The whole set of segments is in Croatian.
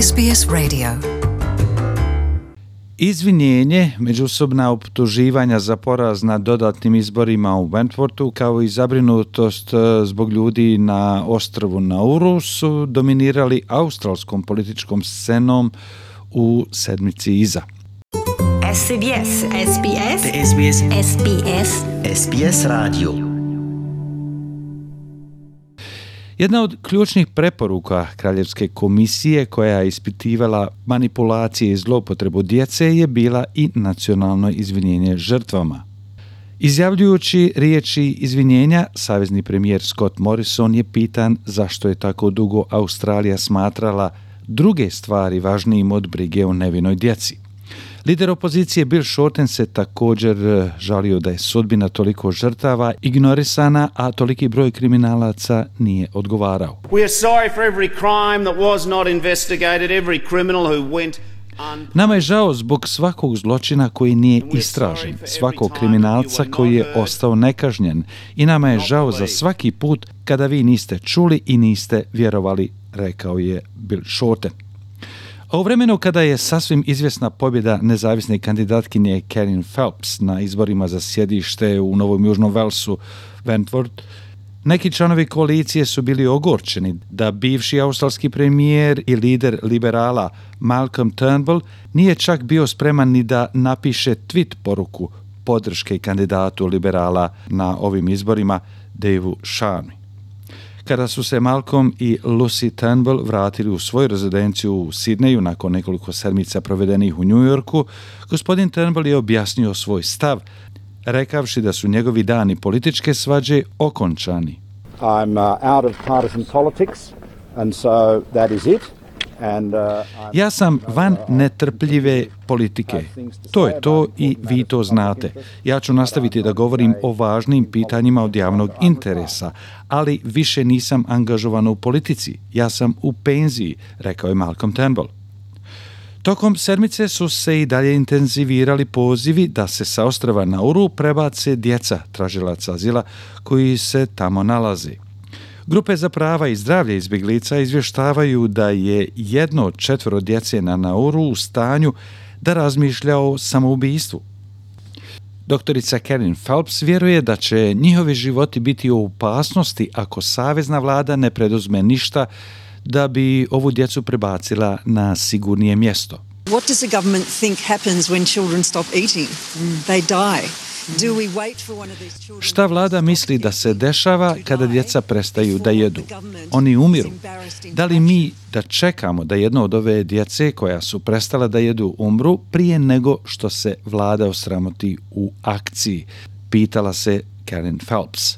SBS Radio. Izvinjenje, međusobna optuživanja za poraz na dodatnim izborima u Wentworthu kao i zabrinutost zbog ljudi na ostrvu Nauru su dominirali australskom političkom scenom u sedmici iza. SBS SBS SBS SBS SBS Radio. Jedna od ključnih preporuka Kraljevske komisije koja je ispitivala manipulacije i zloupotrebu djece je bila i nacionalno izvinjenje žrtvama. Izjavljujući riječi izvinjenja, savezni premijer Scott Morrison je pitan zašto je tako dugo Australija smatrala druge stvari važnijim od brige o nevinoj djeci. Lider opozicije Bill Shorten se također žalio da je sudbina toliko žrtava ignorisana, a toliki broj kriminalaca nije odgovarao. We are sorry for every crime that was not investigated, every criminal who went Nama je žao zbog svakog zločina koji nije istražen, svakog kriminalca koji je ostao nekažnjen i nama je žao za svaki put kada vi niste čuli i niste vjerovali, rekao je Bill Shorten. A u vremenu kada je sasvim izvjesna pobjeda nezavisne kandidatkinje Kerryn Phelps na izborima za sjedište u Novom Južnom Walesu, Wentworth, neki članovi koalicije su bili ogorčeni da bivši australski premijer i lider liberala Malcolm Turnbull nije čak bio spreman ni da napiše tweet poruku podrške kandidatu liberala na ovim izborima, Daveu Sharmi. Kada su se Malcolm i Lucy Turnbull vratili u svoju rezidenciju u Sidneju nakon nekoliko sedmica provedenih u New Yorku, gospodin Turnbull je objasnio svoj stav, rekavši da su njegovi dani političke svađe okončani. I'm out of partisan politics and so that is it. Ja sam van netrpljive politike. To je to i vi to znate. Ja ću nastaviti da govorim o važnim pitanjima od javnog interesa, ali više nisam angažovan u politici. Ja sam u penziji, rekao je Malcolm Turnbull. Tokom sedmice su se i dalje intenzivirali pozivi da se sa ostrva Nauru prebace djeca tražilaca azila koji se tamo nalaze. Grupe za prava i zdravlje izbjeglica izvještavaju da je 1 od 4 djece na Nauru u stanju da razmišlja o samoubistvu. Doktorica Kerryn Phelps vjeruje da će njihovi životi biti u opasnosti ako savezna vlada ne preduzme ništa da bi ovu djecu prebacila na sigurnije mjesto. What does the government think happens when children stop eating? They die. Do we wait for one of these children? Šta vlada misli da se dešava kada djeca prestaju da jedu? Oni umiru. Da li mi da čekamo da jedno od ove djece koja su prestala da jedu umru prije nego što se vlada osramoti u akciji? Pitala se Kerryn Phelps.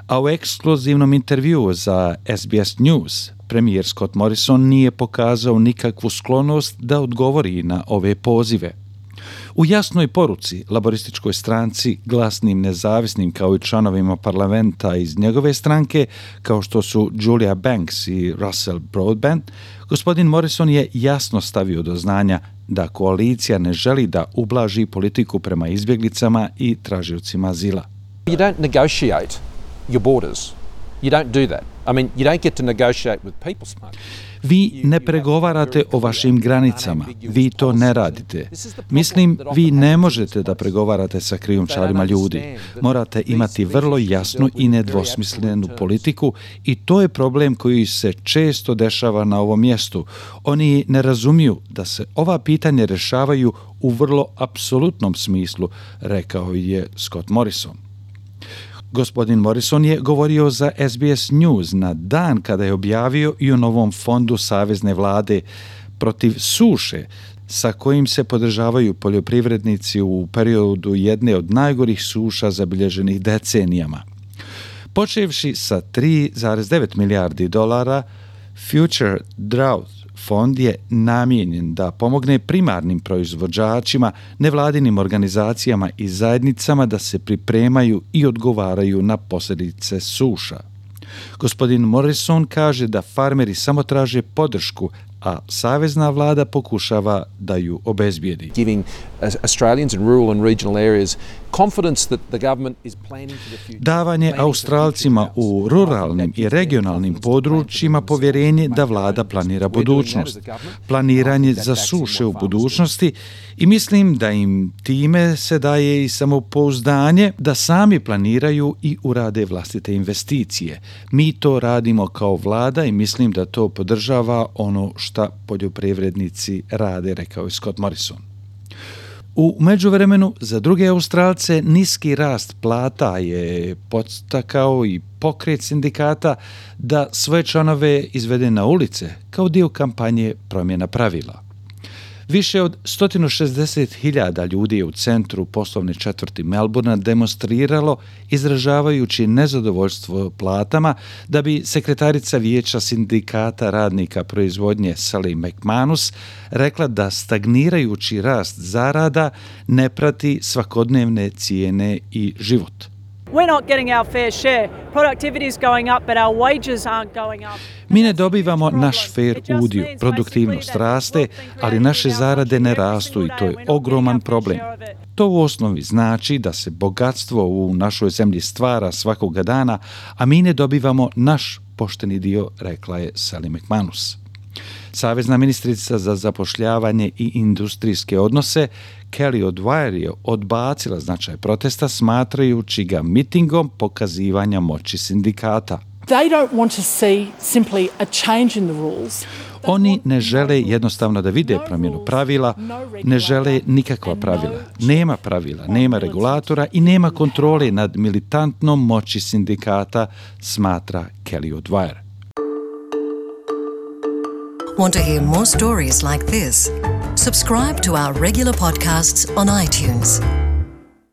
A u ekskluzivnom intervjuu za SBS News premijer Scott Morrison nije pokazao nikakvu sklonost da odgovori na ove pozive. U jasnoj poruci laborističkoj stranci, glasnim nezavisnim kao i članovima parlamenta iz njegove stranke, kao što su Julia Banks i Russell Broadbent, gospodin Morrison je jasno stavio do znanja da koalicija ne želi da ublaži politiku prema izbjeglicama i tražiocima azila. You don't negotiate your borders. You don't do that. I mean, you don't get to negotiate with people smugglers. Vi ne pregovarate o vašim granicama, vi to ne radite. Mislim, vi ne možete da pregovarate sa krijumčarima ljudi. Morate imati vrlo jasnu i nedvosmislenu politiku i to je problem koji se često dešava na ovom mjestu. Oni ne razumiju da se ova pitanja rješavaju u vrlo apsolutnom smislu, rekao je Scott Morrison. Gospodin Morrison je govorio za SBS News na dan kada je objavio i o novom fondu savezne vlade protiv suše sa kojim se podržavaju poljoprivrednici u periodu jedne od najgorih suša zabilježenih decenijama. Počevši sa 3,9 milijardi dolara, Future Drought fond je namijenjen da pomogne primarnim proizvođačima, nevladinim organizacijama i zajednicama da se pripremaju i odgovaraju na posljedice suša. Gospodin Morrison kaže da farmeri samo traže podršku, a savezna vlada pokušava da ju obezbijedi. Giving Australians in rural and regional areas confidence that the government is planning for the future. Davanje Australcima u ruralnim i regionalnim područjima povjerenje da vlada planira budućnost, planiranje za suše u budućnosti i mislim da im time se daje i samopouzdanje da sami planiraju i urade vlastite investicije. Mi to radimo kao vlada i mislim da to podržava ono šta poljoprivrednici rade, rekao je Scott Morrison. U međuvremenu, za druge Australce, niski rast plata je podstakao i pokret sindikata da svoje članove izvede na ulice kao dio kampanje promjena pravila. Više od 160.000 ljudi je u centru poslovne četvrti Melbourna demonstriralo izražavajući nezadovoljstvo platama da bi sekretarica vijeća sindikata radnika proizvodnje Sally McManus rekla da stagnirajući rast zarada ne prati svakodnevne cijene i život. We're not getting our fair share. Productivity is going up, but our wages aren't going up. Mi ne dobivamo naš fair udio, produktivnost raste, ali naše zarade ne rastu i to je ogroman problem. To u osnovi znači da se bogatstvo u našoj zemlji stvara svakoga dana, a mi ne dobivamo naš pošteni dio, rekla je Sally McManus. Savezna ministrica za zapošljavanje i industrijske odnose Kelly O'Dwyer je odbacila značaj protesta smatrajući ga mitingom pokazivanja moći sindikata. They don't want to see simply a change in the rules. Oni ne žele jednostavno da vide promjenu pravila, ne žele nikakva pravila. Nema pravila, nema regulatora i nema kontrole nad militantnom moći sindikata, smatra Kelly O'Dwyer. Want to hear more stories like this? Subscribe to our regular podcasts on iTunes.